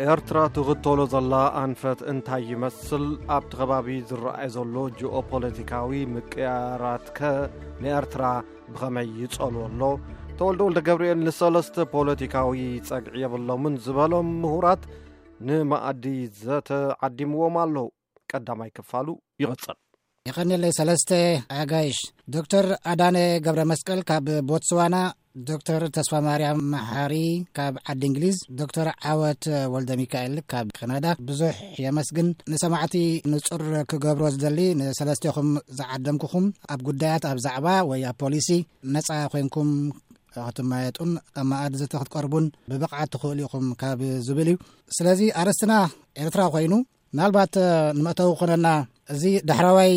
ኤርትራ ትኽተሎ ዘላ ኣንፈት እንታይ ይመስል? ኣብቲ ከባቢ ዝረኣይ ዘሎ ጂኦፖለቲካዊ ምቅያራትከ ንኤርትራ ብኸመይ ይጸልዎ ኣሎ? ተወልደ ወልደ ገብርኤል ንሰለስተ ፖለቲካዊ ጸግዒ የብሎምን ዝበሎም ምሁራት ንመኣዲ ዘተ ዓዲምዎም ኣሎ። ቀዳማይ ክፋሉ ይቕጽል። የቐንየለይ ሰለስተ ኣጋይሽ፣ ዶክተር ኣዳነ ገብረ መስቀል ካብ ቦትስዋና፣ ዶክተር ተስፋ ማርያም መሓሪ ካብ ዓዲ እንግሊዝ፣ ዶክተር ዓወት ወልደ ሚካኤል ካብ ካናዳ። ብዙሕ የመስግን። ንሰማዕቲ ንጹር ክገብሮ ዝደሊ፣ ንሰለስቴኹም ዝዓደምኩኹም ኣብ ጉዳያት፣ ኣብ ዛዕባ ወይ ኣብ ፖሊሲ ነጻ ኮይንኩም ክትመያየጡን ኣብ መኣዲ ዘተ ክትቀርቡን ብብቕዓት ትኽእሉ ኢኹም ካብ ዝብል እዩ። ስለዚ ኣርእስትና ኤርትራ ኮይኑ፣ ምናልባት ንመእተዊ ክኾነና፣ እዚ ዳሕረዋይ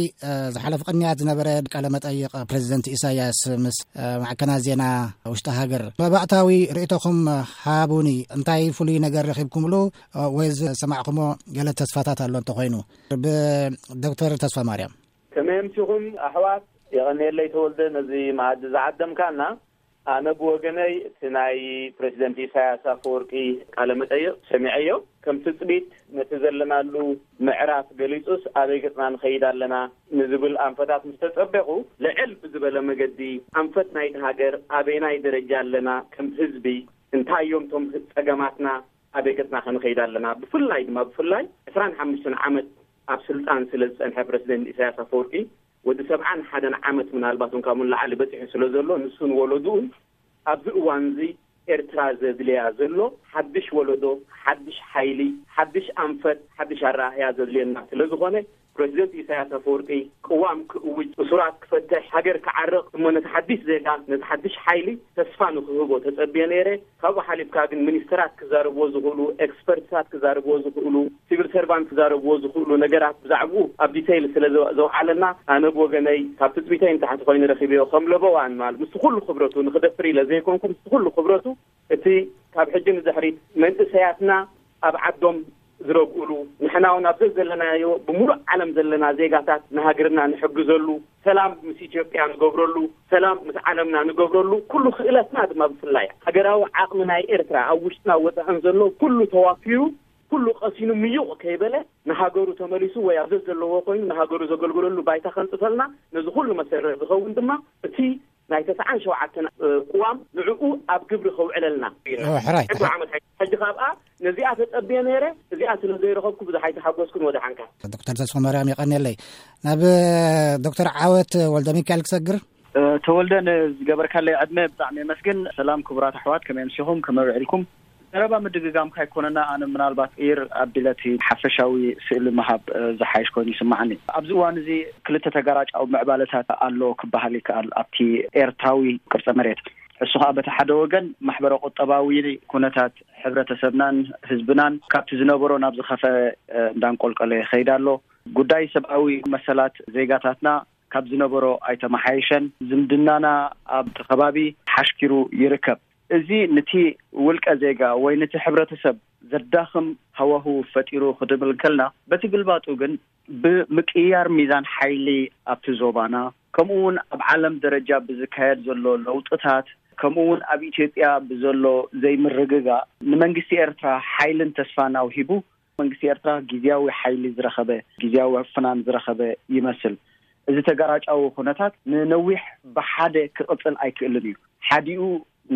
ዝሓለፈ ቅንያት ዝነበረ ቃለ መጠይቕ ፕሬዚደንት ኢሳያስ ምስ ማዕከናት ዜና ውሽጢ ሃገር፣ መባእታዊ ርእይቶኹም ሃቡኒ። እንታይ ፍሉይ ነገር ረኺብኩምሉ ወይ ዝሰማዕኩሞ ገለ ተስፋታት ኣሎ እንተኾይኑ? ብዶክተር ተስፋ ማርያም። ከመይ ኣምሲኹም ኣሕዋት? የቐንየለይ ተወልደ፣ ነዚ መኣዲ ዝዓደምካና። ኣነ ብወገነይ እቲ ናይ ፕሬዚደንት ኢሳያስ ኣፈወርቂ ቃለ መጠይቕ ሰሚዐዮ። ከም ትጽቢት ነቲ ዘለናሉ ምዕራፍ ገሊጹስ፣ ኣበይ ገጽና ንኸይድ ኣለና ንዝብል ኣንፈታት ምስ ተጸበኹ፣ ልዕል ብዝበለ መገዲ ኣንፈት ናይቲ ሃገር ኣበየናይ ደረጃ ኣለና፣ ከም ህዝቢ እንታይ እዮም እቶም ጸገማትና፣ ኣበይ ገጽና ከንኸይድ ኣለና፣ ብፍላይ ድማ ብፍላይ ዕስራን ሓሙሽተን ዓመት ኣብ ስልጣን ስለ ዝጸንሐ ፕረሲደንት ኢሳያስ ኣፈወርቂ፣ ወዲ ሰብዓን ሓደን ዓመት ምናልባት እውን ካብኡ ንላዕሊ በጺሑ ስለ ዘሎ፣ ንሱን ወለድኡን ኣብዚ እዋን እዚ ኤርትራ ዘድልያ ዘሎ ሓድሽ ወለዶ፣ ሓድሽ ሓይሊ፣ ሓድሽ ኣንፈት፣ ሓድሽ ኣረኣእያ ዘድልየና ስለ ዝኾነ፣ ፕረሲደንት ኢሳያስ ኣፈወርቂ ቅዋም ክእውጅ፣ እሱራት ክፈትሕ፣ ሃገር ክዓርቕ፣ እሞ ነቲ ሓድሽ ዜጋ፣ ነቲ ሓድሽ ሓይሊ ተስፋ ንክህቦ ተጸብየ ነይረ። ካብኡ ሓሊፍካ ግን ሚኒስተራት ክዛረብዎ ዝኽእሉ፣ ኤክስፐርትታት ክዛረብዎ ዝኽእሉ፣ ሲቪል ሰርቫንት ክዛረብዎ ዝኽእሉ ነገራት ብዛዕባኡ ኣብ ዲቴይል ስለ ዘው-፣ ዘውዓለና፣ ኣነ ብወገነይ ካብ ትጽቢተይ ንታሕቲ ኮይኑ ረኺበዮ። ከም ለበዋን ማለት ምስቲ ኩሉ ክብረቱ ንኽደፍር ኢለ ዘይኮንኩ፣ ምስቲ ኩሉ ክብረቱ እቲ ካብ ሕጂ ንድሕሪት መንእሰያትና ኣብ ዓዶም ዝረግኡሉ፣ ንሕና እውን ኣብ ዘዘለናዮ ብምሉእ ዓለም ዘለና ዜጋታት ንሃገርና ንሕግዘሉ፣ ሰላም ምስ ኢትዮጵያ ንገብረሉ፣ ሰላም ምስ ዓለምና ንገብረሉ፣ ኩሉ ክእለትና ድማ ብፍላይ ሃገራዊ ዓቕሚ ናይ ኤርትራ ኣብ ውሽጥና ወጻእን ዘሎ ኩሉ ተዋፊሩ፣ ኩሉ ቀሲኑ ምዩቕ ከይበለ ንሃገሩ ተመሊሱ ወይ ኣብ ዘዘለዎ ኮይኑ ንሃገሩ ዘገልግለሉ ባይታ ከንጽፈልና፣ ነዚ ኩሉ መሰረት ዝኸውን ድማ እቲ ናይ ተስዓን ሸውዓተን ቅዋም ንዕኡ ኣብ ግብሪ ከውዕለልና። ሕራይ። ሕጂ ዓመት ሕጂ ካብኣ ነዚኣ ተጸብየ ነይረ፣ እዚኣ ስለ ዘይረኸብኩ ብዙሕ ኣይተሓጎስኩን። ወደ ሓንካ። ዶክተር ተስፋ ማርያም የቐንየለይ። ናብ ዶክተር ዓወት ወልደ ሚካኤል ክሰግር። ተወልደ፣ ንዝገበርካለይ ዕድመ ብጣዕሚ የመስግን። ሰላም ክቡራት ኣሕዋት፣ ከመይ ኣምሲኹም? ከመይ ውዒልኩም? ዘረባ ምድግጋምካ ኣይኮነና፣ ኣነ ምናልባት ኢር ኣቢለቲ ሓፈሻዊ ስእሊ ምሃብ ዝሓይሽ ኮይኑ ይስምዓኒ። ኣብዚ እዋን እዚ ክልተ ተጋራጫዊ ምዕባለታት ኣሎ ክበሃል ይከኣል ኣብቲ ኤርትራዊ ቅርጸ መሬት። እሱ ኸኣ በቲ ሓደ ወገን ማሕበረ ቁጠባዊ ኩነታት ሕብረተሰብናን ህዝብናን ካብቲ ዝነበሮ ናብ ዝኸፈ እንዳንቆልቀለ ይኸይድ ኣሎ። ጉዳይ ሰብኣዊ መሰላት ዜጋታትና ካብ ዝነበሮ ኣይተመሓየሸን። ዝምድናና ኣብቲ ከባቢ ሓሽኪሩ ይርከብ። እዚ ነቲ ውልቀ ዜጋ ወይ ነቲ ሕብረተሰብ ዘዳኽም ሃዋህው ፈጢሩ ክድብል ከልና፣ በቲ ግልባጡ ግን ብምቅይያር ሚዛን ሓይሊ ኣብቲ ዞባና፣ ከምኡ እውን ኣብ ዓለም ደረጃ ብዝካየድ ዘሎ ለውጥታት፣ ከምኡ እውን ኣብ ኢትዮጵያ ብዘሎ ዘይምርግጋእ ንመንግስቲ ኤርትራ ሓይልን ተስፋን ኣውሂቡ፣ መንግስቲ ኤርትራ ግዝያዊ ሓይሊ ዝረኸበ፣ ግዝያዊ ፍናን ዝረኸበ ይመስል። እዚ ተጋራጫዊ ኩነታት ንነዊሕ ብሓደ ክቕጽል ኣይክእልን እዩ። ሓዲኡ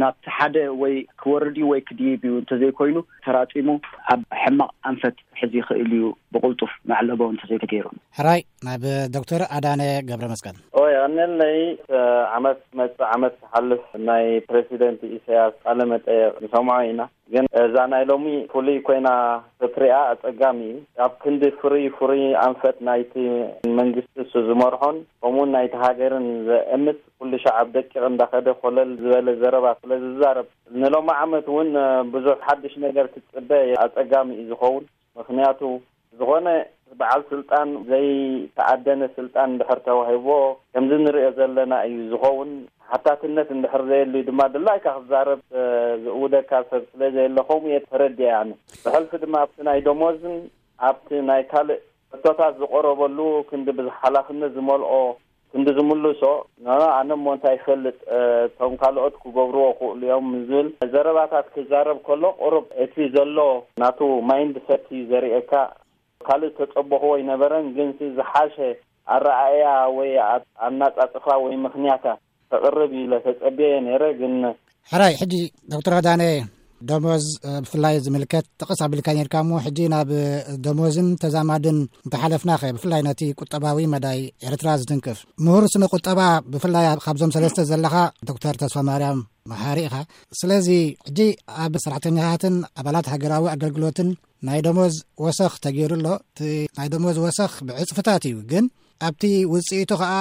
ናብቲ ሓደ ወይ ክወርድ እዩ ወይ ክድይብ እዩ እንተዘይኮይኑ፣ ተራጺሙ ኣብ ሕማቕ ኣንፈት ክሕዝ ይኽእል እዩ፣ ብቕልጡፍ መዕለቦ እንተዘይተገይሩ። ሕራይ፣ ናብ ዶክተር ኣዳነ ገብረ መስቀል። ኦይ፣ ኣነለይ፣ ዓመት መጽእ ዓመት ክሓልፍ ናይ ፕረሲደንት ኢሳያስ ቃለ መጠየቕ ንሰምዖ ኢና። ግን እዛ ናይ ሎሚ ፍሉይ ኮይና ክትሪኣ ኣጸጋሚ እዩ። ኣብ ክንዲ ፍሩይ ፍሩይ ኣንፈት ናይቲ መንግስቲ እሱ ዝመርሖን ከምኡውን ናይቲ ሃገርን ዘእምት፣ ኩሉ ሻዕ ኣብ ደቂቕ እንዳኸደ ኮለል ዝበለ ዘረባ ስለ ዝዛረብ፣ ንሎሚ ዓመት እውን ብዙሕ ሓድሽ ነገር ክትጽበ ኣጸጋሚ እዩ ዝኸውን። ምኽንያቱ፣ ዝኾነ በዓል ስልጣን ዘይተኣደነ ስልጣን እንድሕር ተዋሂብዎ፣ ከምዚ ንሪኦ ዘለና እዩ ዝኸውን። ሓታትነት እንድሕር ዘየሉ ድማ፣ ድላይካ ክዛረብ ዝእውደካ ሰብ ስለ ዘየለ፣ ከምኡ እየ ተረዲኤ ኣነ። ብሕልፊ ድማ ኣብቲ ናይ ደሞዝን ኣብቲ ናይ ካልእ ሕቶታት ዝቐረበሉ ክንዲ ብዙሕ ሓላፍነት ዝመልኦ ክንዲ ዝምልሶ፣ ኖኖ፣ ኣነ እሞ እንታይ ይፈልጥ፣ እ፣ እቶም ካልኦት ክገብርዎ ክእሉ እዮም ዝብል ዘረባታት ክዛረብ ከሎ፣ ቁሩብ እቲ ዘሎ ናቱ ማይንድ ሰት እዩ ዘርእየካ። ካልእ ተጸበኽዎ ኣይነበረን፣ ግን እቲ ዝሓሸ ኣረኣእያ ወይ ኣ-፣ ኣናጻጽፋ ወይ ምኽንያታ ተቕርብ ኢለ ተጸብየ ነይረ። ግን ሕራይ፣ ሕጂ ዶክተር ኣዳነ፣ ደሞዝ፣ እ፣ ብፍላይ ዝምልከት ጥቕስ ኣቢልካ ነርካ እሞ፣ ሕጂ ናብ፣ እ፣ ደሞዝን ተዛማድን እንተሓለፍናኸ፣ ብፍላይ ነቲ ቁጠባዊ መዳይ ኤርትራ ዝትንክፍ ምሁር ስነ ቁጠባ፣ ብፍላይ ኣብ፣ ካብዞም ሰለስተ ዘለኻ ዶክተር ተስፋ ማርያም መሓሪ ኢኻ። ስለዚ ሕጂ ኣብ ሰራሕተኛታትን ኣባላት ሃገራዊ ኣገልግሎትን ናይ ደሞዝ ወሰኽ ተገይሩ ኣሎ። እቲ ናይ ደሞዝ ወሰኽ ብዕጽፍታት እዩ፣ ግን ኣብቲ ውጽኢቱ ኸኣ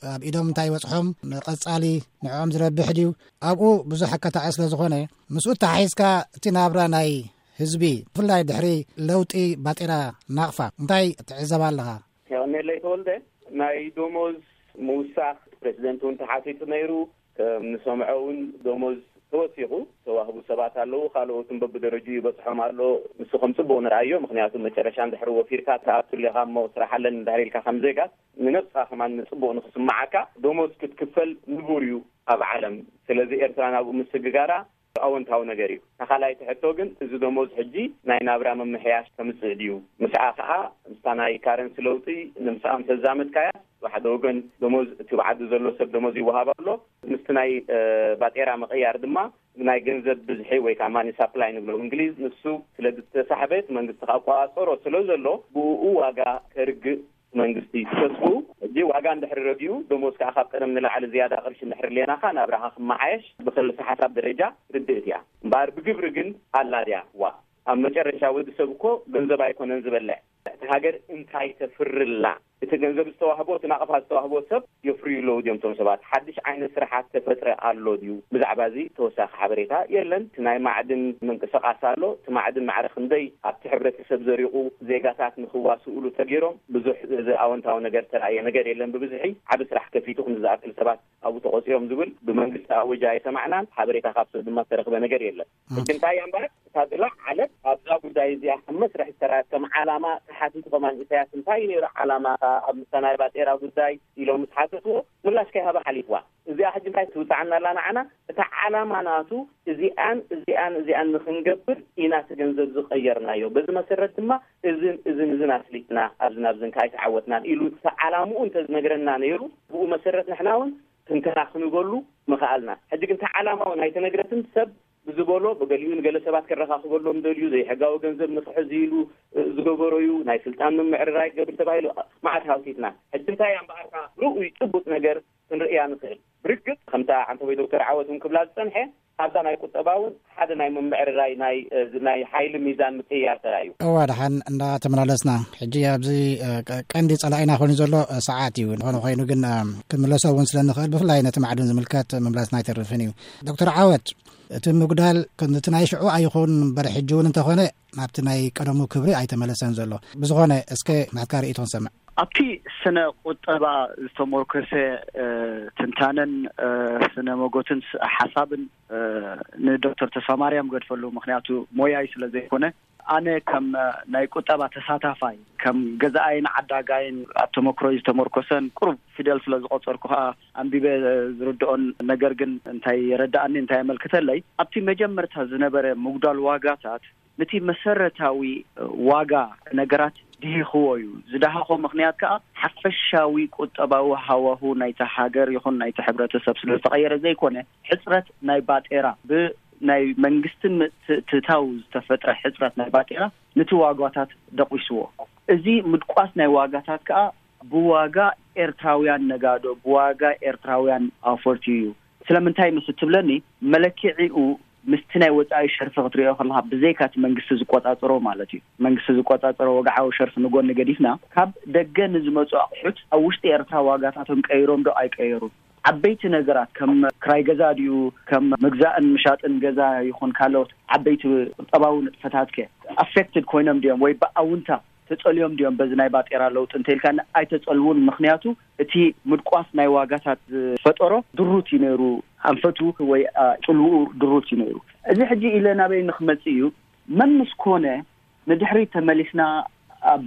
ኣብ ኢዶም እንታይ ይበጽሖም፣ ንቐጻሊ ንዕኦም ዝረብሕ ድዩ፣ ኣብኡ ብዙሕ ኣካታዒ ስለ ዝኾነ፣ ምስኡ ተሓሒዝካ እቲ ናብራ ናይ ህዝቢ፣ ብፍላይ ድሕሪ ለውጢ ባጤራ ናቕፋ፣ እንታይ ትዕዘብ ኣለኻ? የቐኔለይ ተወልደ፣ ናይ ደሞዝ ምውሳኽ ፕሬዚደንት እውን ተሓቲቱ ነይሩ። ከም ንሰምዖ እውን ደሞዝ ተወሲኹ፣ ተዋህቡ ሰባት ኣለዉ፣ ካልኦትን በብደረጅኡ ይበጽሖም ኣሎ። ንሱ ከም ጽቡቕ ንርኣዮ፣ ምኽንያቱ መጨረሻ እንድሕሪ ወፊርካ ትኣቱ ኣለኻ እሞ ስራሕ ኣለኒ እንድሕር ኢልካ ከም ዜጋ፣ ንነብስኻ ከማን ጽቡቕ ንኽስምዓካ፣ ደሞዝ ክትክፈል ንቡር እዩ ኣብ ዓለም። ስለዚ ኤርትራ ናብኡ ምስግጋራ ኣወንታዊ ነገር እዩ። ተኻላይቲ ሕቶ ግን፣ እዚ ደሞዝ ሕጂ ናይ ናብራ ምምሕያሽ ከምጽእ ድዩ? ምስኣ ከኣ ምስታ ናይ ካረንሲ ለውጢ ንምስኣ ምስ ኣዛመድካያ፣ ብሓደ ወገን ደሞዝ እቲ ብዓዲ ዘሎ ሰብ ደሞዝ ይወሃብ ኣሎ። ምስቲ ናይ፣ እ፣ ባጤራ ምቕያር ድማ ናይ ገንዘብ ብዝሒ ወይ ከዓ ማኒ ሳፕላይ ንብሎ እንግሊዝ፣ ንሱ ስለ ዝተሳሕበ፣ እቲ መንግስቲ ክቆጻጸሮ ስለ ዘሎ፣ ብኡ ዋጋ ከርግእ መንግስቲ ተስፉ። ሕጂ ዋጋ እንድሕሪ ረጊኡ፣ ደሞዝ ከዓ ካብ ቀደም ንላዕሊ ዝያዳ ቅርሺ እንድሕሪ ሌናኻ፣ ናብራኻ ክመሓየሽ ብክልሰ ሓሳብ ደረጃ ርድእት እያ። እምበኣር ብግብሪ ግን ኣላ ድያ? ዋ፣ ኣብ መጨረሻ ወዲ ሰብ እኮ ገንዘብ ኣይኮነን ዝበልዕ። እታ ሃገር እንታይ ተፍርላ? እቲ ገንዘብ ዝተዋህቦ፣ እቲ ናቕፋ ዝተዋህቦ ሰብ የፍርዩ ኣለዉ ድዮም? እቶም ሰባት ሓድሽ ዓይነት ስራሓት ተፈጥረ ኣሎ ድዩ? ብዛዕባ እዚ ተወሳኺ ሓበሬታ የለን። እቲ ናይ ማዕድን ምንቅስቃስ ኣሎ። እቲ ማዕድን ማዕረ ክንደይ ኣብቲ ሕብረተሰብ ዘሪቑ፣ ዜጋታት ንኽዋስኡሉ ተገይሮም፣ ብዙሕ ዝ-፣ ኣወንታዊ ነገር ተራእየ ነገር የለን። ብብዝሒ ዓቢ ስራሕ ከፊቱ፣ ክንዲ ዝኣክል ሰባት ኣብኡ ተቖጺሮም ዝብል ብመንግስቲ ኣወጃ ኣይሰማዕናን። ሓበሬታ ካብ ሰብ ድማ ዝተረኽበ ነገር የለን። ሕጂ እንታይ እያ እምበኣር? እታ ዝለዓለት ኣብዛ ጉዳይ እዚኣ ከም መስርሕ ዝተራእየት፣ ከም ዓላማ ተሓቲቱ ከማን፣ ኢሳያስ እንታይ እዩ ነይሩ ዓላማኻ ኣብ ምሳናይ ባጤራ ጉዳይ ኢሎም ምስ ሓተትዎ፣ ምላሽ ከይሃበ ሓሊፍዋ። እዚኣ ሕጂ እንታይ ትውፅዓና ኣላ ንዓና? እታ ዓላማ ናቱ እዚኣን እዚኣን እዚኣን ንክንገብር ኢና እቲ ገንዘብ ዝቀየርናዮ። በዚ መሰረት ድማ እዝን እዝን እዝን ኣስሊጥና፣ ኣብዝን ኣብዝን ከኣ ኣይተዓወትናን ኢሉ እቲ ዓላምኡ እንተዝነግረና ነይሩ፣ ብኡ መሰረት ንሕና እውን ትንተና ክንበሉ ምኽኣልና። ሕጂ ግን እታ ዓላማ እውን ኣይተነግረትን። ሰብ ብዝበሎ፣ ብገሊኡ ንገለ ሰባት ከረኻኽበሎም ደልዩ፣ ዘይሕጋዊ ገንዘብ ንኽሕዝ ኢሉ፣ እ፣ ዝገበሮ እዩ፣ ናይ ስልጣን ምምዕርራይ ክገብር ተባሂሉ፣ መዓት ሃውቲትና። ሕጂ እንታይ እያ እምበኣርካ ርኡይ ጭቡጥ ነገር ክንርእያ ንኽእል? ብርግጽ፣ ከምታ ዓንተቦይ ዶክተር ዓወት እውን ክብላ ዝጸንሐ፣ ኣብዛ ናይ ቁጠባ እውን ሓደ ናይ ምምዕርራይ ናይ፣ እ፣ ናይ ሓይሊ ሚዛን ምቅይያር ተራእዩ። እዋ፣ ደሓን እንዳተመላለስና፣ ሕጂ ኣብዚ፣ እ፣ ቀ-፣ ቀንዲ ጸላኢና ኮይኑ ዘሎ፣ እ፣ ሰዓት እዩ። ዝኾነ ኮይኑ ግን፣ እ፣ ክንምለሶ እውን ስለ ንኽእል፣ ብፍላይ ነቲ ማዕድን ዝምልከት ምምላስና ኣይተርፍን እዩ። ዶክተር ዓወት፣ እቲ ምጉዳል ከምቲ ናይ ሽዑ ኣይኹን እምበር፣ ሕጂ እውን እንተኾነ ናብቲ ናይ ቀደሙ ክብሪ ኣይተመለሰን ዘሎ። ብዝኾነ፣ እስከ ናትካ ርእይቶ ንሰምዕ። ኣብቲ ስነ ቁጠባ ዝተሞርከሰ፣ እ፣ ትንታነን፣ እ፣ ስነ መጎትን ስ-፣ ሓሳብን፣ እ፣ ንዶክተር ተስፋማርያም ገድፈሉ፣ ምኽንያቱ ሞያይ ስለ ዘይኮነ። ኣነ ከም፣ እ፣ ናይ ቁጠባ ተሳታፋይ፣ ከም ገዛኣይን ዓዳጋይን ኣብ ተመክሮይ ዝተመርኮሰን ቁሩብ ፊደል ስለ ዝቆጸርኩ ከኣ ኣንቢበ ዝርድኦን ነገር ግን እንታይ የረድኣኒ፣ እንታይ የመልክተለይ፣ ኣብቲ መጀመርታ ዝነበረ ምጉዳል ዋጋታት ነቲ መሰረታዊ ዋጋ ነገራት ድሂኽዎ እዩ። ዝደሃኾ ምኽንያት ከኣ ሓፈሻዊ ቁጠባዊ ሃዋሁ ናይታ ሃገር ይኹን ናይቲ ሕብረተሰብ ስለ ዝተቐየረ ዘይኮነ፣ ሕጽረት ናይ ባጤራ፣ ብናይ መንግስትን ምትእትታው ዝተፈጥረ ሕጽረት ናይ ባጤራ ነቲ ዋጋታት ደቂስዎ። እዚ ምድቋስ ናይ ዋጋታት ከኣ ብዋጋ ኤርትራውያን ነጋዶ፣ ብዋጋ ኤርትራውያን ኣውፈርቲ እዩ። ስለምንታይ ምስ እትብለኒ፣ መለክዒኡ ምስቲ ናይ ወጻኢ ሸርፊ ክትሪኦ ከለኻ፣ ብዘይካ እቲ መንግስቲ ዝቆጻጸሮ ማለት እዩ። መንግስቲ ዝቆጻጸሮ ወግዓዊ ሸርፊ ንጎኒ ገዲፍና፣ ካብ ደገ ንዝመጹ ኣቑሑት ኣብ ውሽጢ ኤርትራ ዋጋታቶም ቀይሮም ዶ ኣይቀየሩን? ዓበይቲ ነገራት ከም ክራይ ገዛ ድዩ፣ ከም ምግዛእን ምሻጥን ገዛ ይኹን ካልኦት ዓበይቲ ቁጠባዊ ንጥፈታትከ ኣፌክትድ ኮይኖም ድዮም ወይ ብኣውንታ ተጸልዮም ድዮም በዚ ናይ ባጤራ ለውጢ እንተኢልካ፣ ኣይተጸልውን። ምኽንያቱ እቲ ምድቋስ ናይ ዋጋታት ዝፈጠሮ ድሩት እዩ ነይሩ፣ ኣንፈቱ ወይ፣ ኣ፣ ጽልውኡ ድሩት እዩ ነይሩ። እዚ ሕጂ ኢለ ናበይ ንኽመጽእ እዩ? መምስ ኮነ ንድሕሪት ተመሊስና ኣብ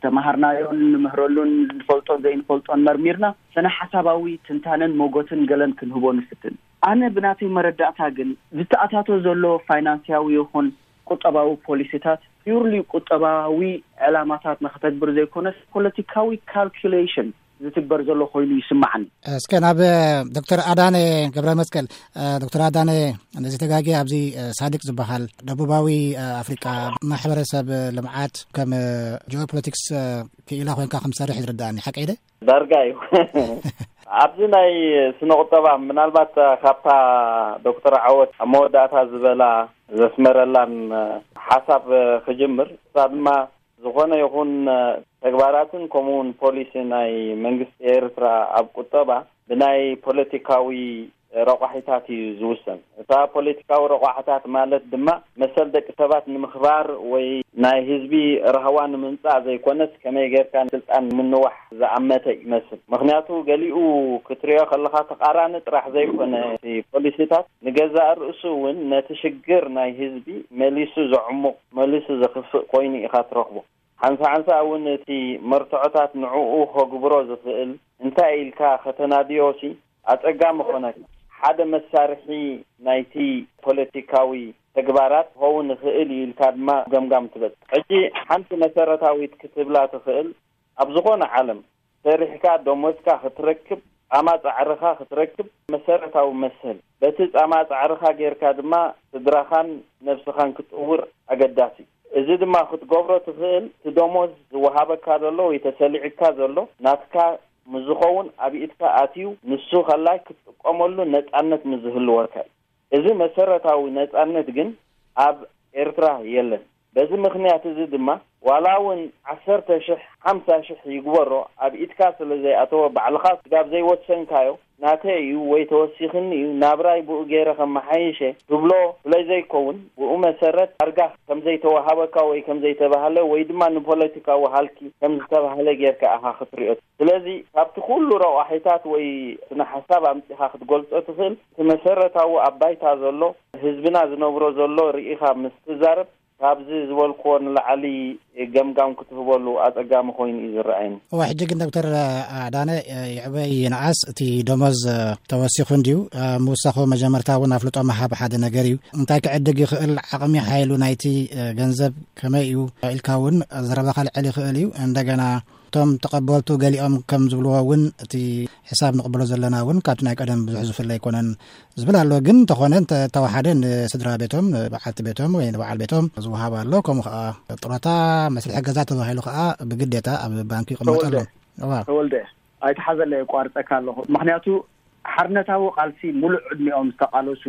ተማሃርናዮን ንምህረሉን ንፈልጦን ዘይንፈልጦን መርሚርና ሰነ ሓሳባዊ ትንታነን ሞጎትን ገለን ክንህቦ ንፍትን። ኣነ ብናተይ መረዳእታ ግን ዝተኣታቶ ዘሎ ፋይናንስያዊ ይኹን ቁጠባዊ ፖሊሲታት ፒውርሊ ቁጠባዊ ዕላማታት ንክተግብር ዘይኮነስ ፖለቲካዊ ካልኩሌሽን ዝትግበር ዘሎ ኮይኑ ይስማዓኒ። እስከ ናብ ዶክተር ኣዳነ ገብረ መስቀል። ዶክተር ኣዳነ፣ ነዚ ተጋጊ ኣብዚ ሳዲቅ ዝበሃል ደቡባዊ ኣፍሪቃ ማሕበረሰብ ልምዓት ከም ጂኦፖለቲክስ ክኢላ ኮይንካ ከም ትሰርሕ ዝርዳእኒ ሓቀይ ደ? ዳርጋ እዩ። ኣብዚ ናይ ስነ ቁጠባ ምናልባት ካብታ ዶክተር ዓወት ኣብ መወዳእታ ዝበላ ዘስመረላን ሓሳብ ክጅምር፣ እሳ ድማ ዝኾነ ይኹን ተግባራትን ከምኡውን ፖሊሲ ናይ መንግስቲ ኤርትራ ኣብ ቁጠባ ብናይ ፖለቲካዊ ረቋሒታት እዩ ዝውሰን። እታ ፖለቲካዊ ረቋሒታት ማለት ድማ መሰል ደቂ ሰባት ንምኽባር ወይ ናይ ህዝቢ ራህዋ ንምምጻእ ዘይኮነስ ከመይ ጌርካ ስልጣን ንምንዋሕ ዝኣመተ ይመስል። ምኽንያቱ ገሊኡ ክትሪኦ ከለኻ ተቓራኒ ጥራሕ ዘይኮነ እቲ ፖሊሲታት ንገዛእ ርእሱ እውን ነቲ ሽግር ናይ ህዝቢ መሊሱ ዘዕሙቕ፣ መሊሱ ዘኽፍእ ኮይኑ ኢኻ ትረኽቦ። ሓንሳ ሓንሳ እውን እቲ መርትዖታት ንዕኡ ከግብሮ ዝኽእል እንታይ ኢልካ ከተናድዮሲ ኣጸጋሚ ኮነካ። ሓደ መሳርሒ ናይቲ ፖለቲካዊ ተግባራት ክኸውን ይኽእል እዩ ኢልካ ድማ ገምጋም ትበጽሕ። ሕጂ ሓንቲ መሰረታዊት ክትብላ ትኽእል፣ ኣብ ዝኾነ ዓለም ሰሪሕካ ደሞዝካ ክትረክብ፣ ጻማ ጻዕርኻ ክትረክብ መሰረታዊ መሰል። በቲ ጻማ ጻዕርኻ ጌርካ ድማ ስድራኻን ነብስኻን ክትጥውር ኣገዳሲ። እዚ ድማ ክትገብሮ ትኽእል፣ እቲ ደሞዝ ዝወሃበካ ዘሎ ወይ ተሰሊዕካ ዘሎ ናትካ ምስ ዝኸውን ኣብ ኢድካ ኣትዩ ንሱ ከላይ ክትጥቀመሉ ነጻነት ምስ ዝህልወካ እዩ። እዚ መሰረታዊ ነጻነት ግን ኣብ ኤርትራ የለን። በዚ ምኽንያት እዚ ድማ ዋላ እውን ዓሰርተ ሽሕ፣ ሓምሳ ሽሕ ይግበሮ ኣብ ኢድካ ስለ ዘይኣተወ ባዕልኻ ስጋብ ዘይወሰንካዮ ናተይ እዩ ወይ ተወሲኽኒ እዩ ናብራይ ብኡ ገይረ ከመሓይሸ ትብሎ ስለ ዘይከውን ብኡ መሰረት ዳርጋ ከም ዘይተዋሃበካ ወይ ከም ዘይተባህለ ወይ ድማ ንፖለቲካዊ ሃልኪ ከም ዝተባህለ ጌርካ ኢኻ ክትሪኦ። ስለዚ ካብቲ ኩሉ ረቋሒታት ወይ ስነ ሓሳብ ኣምጺኻ ክትገልጾ ትኽእል። እቲ መሰረታዊ ኣብ ባይታ ዘሎ ህዝብና ዝነብሮ ዘሎ ርኢኻ ምስ ትዛረብ ካብዚ ዝበልክዎ ንላዕሊ ገምጋም ክትህበሉ ኣጸጋሚ ኮይኑ እዩ ዝረኣየኒ። እወ፣ ሕጂ ግን ዶክተር ኣዳነ፣ ይዕበይ ይንኣስ እቲ ደሞዝ ተወሲኹ እንድዩ። ምውሳኹ መጀመርታ እውን ኣፍልጦ ምሃብ ሓደ ነገር እዩ። እንታይ ክዕድግ ይኽእል፣ ዓቕሚ ሓይሉ ናይቲ ገንዘብ ከመይ እዩ ኢልካ እውን ዘረባኻ ልዕል ይኽእል እዩ። እንደገና እቶም ተቐበልቱ ገሊኦም ከም ዝብልዎ እውን እቲ ሕሳብ ንቕበሎ ዘለና እውን ካብቲ ናይ ቀደም ብዙሕ ዝፍለ ኣይኮነን ዝብል ኣሎ። ግን እንተኾነ እንተ-፣ እንተወሓደ ንስድራ ቤቶም፣ ንበዓልቲ ቤቶም ወይ ንበዓል ቤቶም ዝወሃብ ኣሎ። ከምኡ ከዓ ጥሮታ፣ መስርሒ ገዛ ተባሂሉ ከዓ ብግዴታ ኣብ ባንክ ይቕመጥ ኣሎ። ተወልደ፣ እዋ። ተወልደ፣ ኣይተሓዘለ የቋርጸካ ኣለኹ። ምኽንያቱ ሓርነታዊ ቃልሲ ሙሉእ ዕድሚኦም ዝተቓለሱ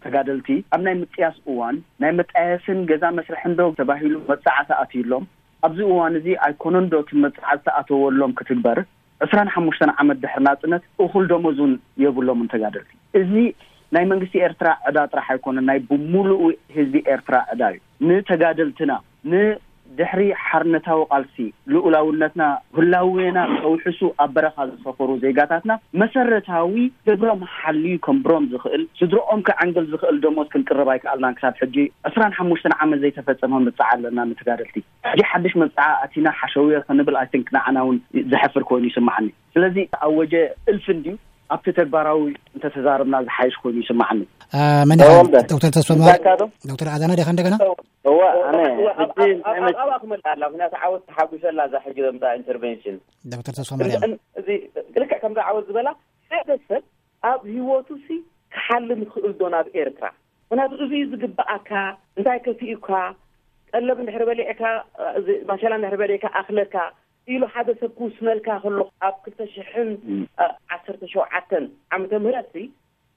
ተጋደልቲ ኣብ ናይ ምጥያስ እዋን ናይ መጣየስን ገዛ መስርሕን ዶ ተባሂሉ መብጻዓ ተኣትዩሎም። ኣብዚ እዋን እዚ ኣይኮነን ዶ እቲ መብጻዓ ዝተኣተወሎም ክትግበር? ዕስራን ሓሙሽተን ዓመት ድሕሪ ናጽነት እኹል ደሞዝ እውን የብሎምን ተጋደልቲ። እዚ ናይ መንግስቲ ኤርትራ ዕዳ ጥራሕ ኣይኮነን፣ ናይ ብምሉኡ ህዝቢ ኤርትራ ዕዳ እዩ። ንተጋደልትና፣ ንድሕሪ ሓርነታዊ ቃልሲ ልኡላውነትና ህላዌና ከውሕሱ ኣብ በረኻ ዝሰፈሩ ዜጋታትና መሰረታዊ ግብሮም ሓልዩ ከንብሮም ዝኽእል፣ ስድርኦም ከዐንግል ዝኽእል ደሞዝ ክንቅርብ ኣይከኣልናን። ክሳብ ሕጂ ዕስራን ሓሙሽተን ዓመት ዘይተፈጸመ ምብጻዕ ኣለና ንተጋደልቲ። ሕጂ ሓድሽ መብጽዓ ኣቲና ሓሸውየ ክንብል፣ I think፣ ንዓና እውን ዘሕፍር ኮይኑ ይስማዓኒ። ስለዚ ኣወጀ እልፊ እንድዩ፣ ኣብቲ ተግባራዊ እንተተዛረብና ዝሓይሽ ኮይኑ ይስማዓኒ። አ፣ መን ኢኻ? ተወልደ። ዶክተር ተስፋ ማር-፣ እንታይ ኢልካ ዶ? ዶክተር ኣዳነ ዲኻ እንደገና? እወ፣ ኣነ እወ፣ ኣብ፣ ሕጂ ኣብ፣ እንታይ ኣብ፣ መስ- ኣብኣ ክመልእ ኣላ፣ ምክንያቱ ዓወት ተሓጒሰላ እዛ ሕጂ ዘምፅኣ ኢንተርቬንሽን። ዶክተር ተስፋ ማርያም። እን-፣ እዚ ልክዕ ከምዛ ዓወት ዝበላ፣ ሓደ ሰብ ኣብ ህይወቱ ሲ ክሓልም ይኽእል ዶ ናብ ኤርትራ? ምክንያቱ እዚ እዩ ዝግብኣካ፣ እንታይ ከፊኡካ፣ ቀለብ እንድሕር በሊዕካ፣ እዚ ማሸላ እንድሕር በሊዕካ ኣኽለካ ኢሉ ሓደ ሰብ ክውስነልካ ከሎ፣ ኣብ ክልተ ሽሕን ዓሰርተ ሸውዓተን ዓመተ ምህረት ሲ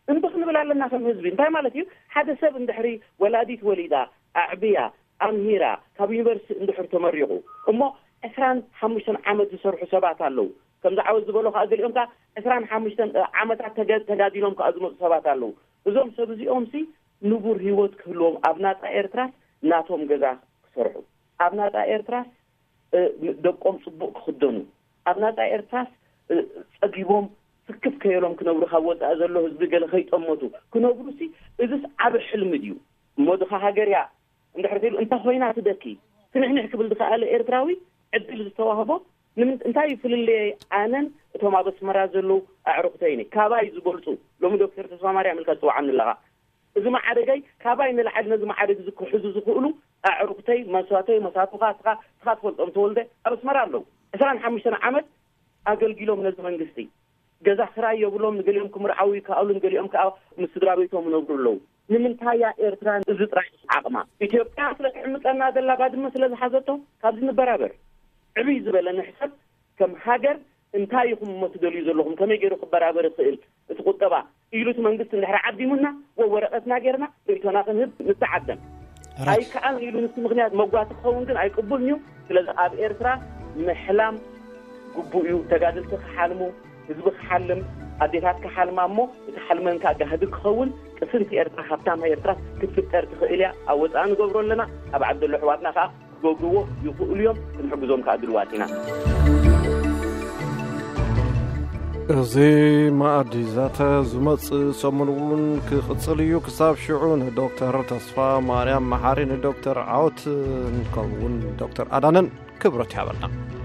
እምቢ ክንብል ኣለና ከም ህዝቢ። እንታይ ማለት እዩ? ሓደ ሰብ እንድሕሪ ወላዲት ወሊዳ፣ ኣዕብያ፣ ኣምሂራ፣ ካብ ዩኒቨርሲቲ እንድሕር ተመሪቑ፣ እሞ ዕስራን ሓሙሽተን ዓመት ዝሰርሑ ሰባት ኣለዉ። ከምዚ ዓወት ዝበሎ ከኣ ገሊኦም ከኣ ዕስራን ሓሙሽተን ዓመታት ተገ-፣ ተጋዲሎም ከኣ ዝመጹ ሰባት ኣለዉ። እዞም ሰብ እዚኦም ሲ ንቡር ህይወት ክህልዎም፣ ኣብ ናጻ ኤርትራስ ናቶም ገዛ ክሰርሑ፣ ኣብ ናጻ ኤርትራስ፣ እ፣ ደቆም ጽቡቕ ክኽደኑ፣ ኣብ ናጻ ኤርትራስ፣ እ፣ ጸጊቦም ስክፍ ከየሎም ክነብሩ፣ ካብ ወጻኢ ዘሎ ህዝቢ ገለ ከይጠመቱ ክነብሩ ሲ እዝስ ዓቢ ሕልሚ ድዩ? እሞ ድኻ ሃገር እያ እንድሕር ተይሉ እንተ ኮይና ትደኪ፣ ትንሕንሕ ክብል ዝኸኣለ ኤርትራዊ ዕድል ዝተዋህቦ ንምንት እንታይ ፍልልየይ? ኣነን እቶም ኣብ ኣስመራ ዘለዉ ኣዕሩኽተይን ካባይ ዝበልፁ። ሎሚ ዶክተር ተስፋ ማርያም ኢልካ ትፅውዓኒ ኣለኻ። እዚ መዓረገይ ካባይ ንላዕሊ ነዚ መዓረግ እዚ ክሕዙ ዝኽእሉ ኣዕሩኽተይ፣ መሳተይ፣ መሳቱኻ፣ እስኻ እስኻ ትፈልጦም፣ ተወልደ፣ ኣብ ኣስመራ ኣለዉ። ዕስራን ሓሙሽተን ዓመት ኣገልጊሎም ነዚ መንግስቲ። ገዛ ክራይ የብሎም፣ ንገሊኦም ክምርዓው ይከኣሉ፣ ንገሊኦም ከዓ ምስ ስድራ ቤቶም ይነብሩ ኣለዉ። ንምንታይ እያ ኤርትራ እዚ ጥራይ ዓቕማ? ኢትዮጵያ ስለ ትሕምፀና ዘላ፣ ባድመ ስለ ዝሓዘቶ ካብዚ ንበራበር። ዕብይ ዝበለ ንሕሰብ። ከም ሃገር እንታይ ኢኹም እሞ ትደልዩ ዘለኹም? ከመይ ገይሩ ክበራበር ይኽእል እቲ ቁጠባ? ኢሉ እቲ መንግስቲ እንድሕር ዓዲሙና፣ ወ-፣ ወረቐትና ጌርና ርእይቶና ክንህብ ንተዓደም። ራይት። ኣይከኣልን ኢሉ ንሱ ምኽንያት መጓቲ ክኸውን ግን ኣይቅቡልን እዩ። ስለዚ ኣብ ኤርትራ ምሕላም ግቡእ እዩ። ተጋደልቲ ክሓልሙ፣ ህዝቢ ክሓልም፣ ኣዴታት ክሓልማ እሞ እቲ ሓልመን ከዓ ጋህዲ ክኸውን፣ ቅስንቲ ኤርትራ፣ ሃብታማ ኤርትራ ክትፍጠር ትኽእል እያ። ኣብ ወፃኢ ንገብሮ ኣለና፣ ኣብ ዓዲ ዘሎ ኣሕዋትና ከዓ ክገብርዎ ይኽእሉ እዮም። ክንሕግዞም ከዓ ድልዋት ኢና። እዚ መኣዲ ዛተ ዝመጽእ ሰሙን እውን ክቕጽል እዩ። ክሳብ ሽዑ ንዶክተር ተስፋ ማርያም መሓሪ፣ ንዶክተር ዓወት፣ ንከምኡውን ዶክተር ኣዳነን ክብረት ይሃበልና።